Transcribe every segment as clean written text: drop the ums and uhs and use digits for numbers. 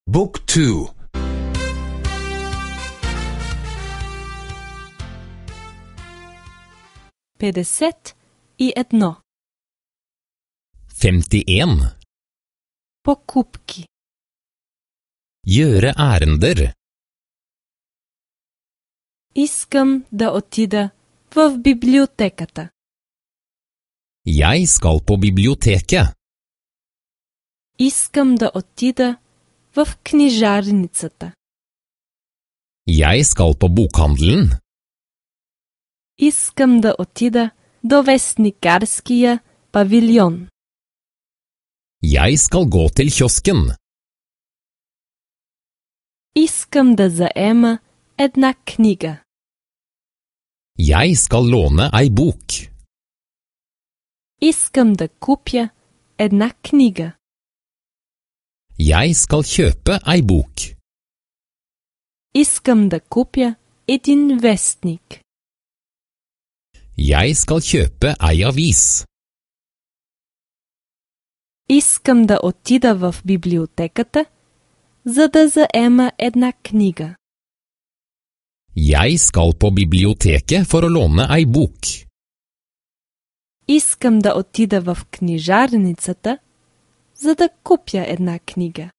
Book 2. 51. 51. Покупки. Gjøre ærender. Искам да отида в библиотеката. Jeg skal på biblioteket. Искам да отида в книжарницата. Jeg skal på bokhandelen. Искам да отида до вестникарския павилион. Jeg skal gå til kiosken. Искам да заема една книга. Jeg skal låne ei bok. Искам да купя една книга. Jeg skal kjøpe ei bok. Искам да купя един вестник. Jeg skal kjøpe ei avis. Искам да отида в библиотеката, за да заема една книга. Jeg skal på biblioteket for å låne ei bok. Искам да отида в книжарницата, за да купя една книга.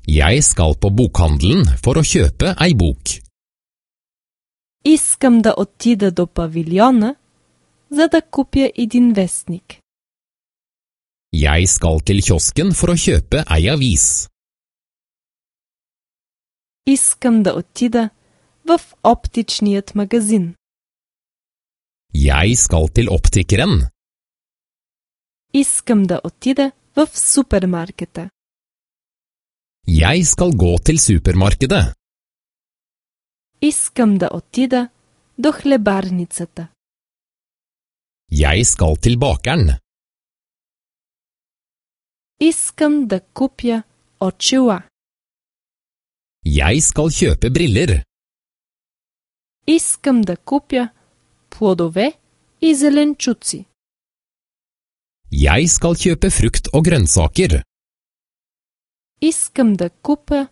Jeg skal på bokhandelen for å kjøpe ei bok. Искам да отида до павилиона, за да купя един вестник. Jeg skal til kiosken for å kjøpe ei avis. Искам да отида в оптичният магазин. Jeg skal til optikeren. Искам да отида в супермаркета. Jeg skal gå til supermarkedet. Искам да отида до хлебарницата. Jeg skal til bakeren. Искам да купя очила. Jeg skal kjøpe briller. Искам да купя плодове и зеленчуци. Jeg skal kjøpe frukt og grønnsaker. Искам да купя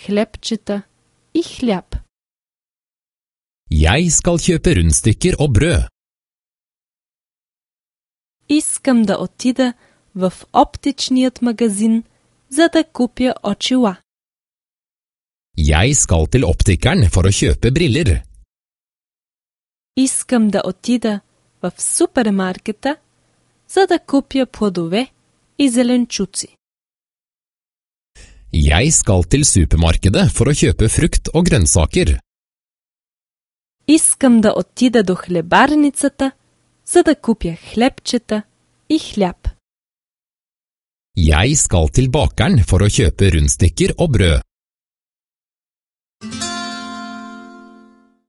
хлебчета и хляб. Jeg skal kjøpe rundstykker og brød. Искам да отида в оптичният магазин, за да купя очила. Jeg skal til optikeren for å kjøpe briller. Искам да отида в супермаркета, за да купя плодове и зеленчуци. Jeg skal til supermarkedet for å kjøpe frukt og grønnsaker. Искам да отида до хлебарницата, за да купя хлебчета и хляб. Jeg skal til bakeren for å kjøpe rundstykker og brød.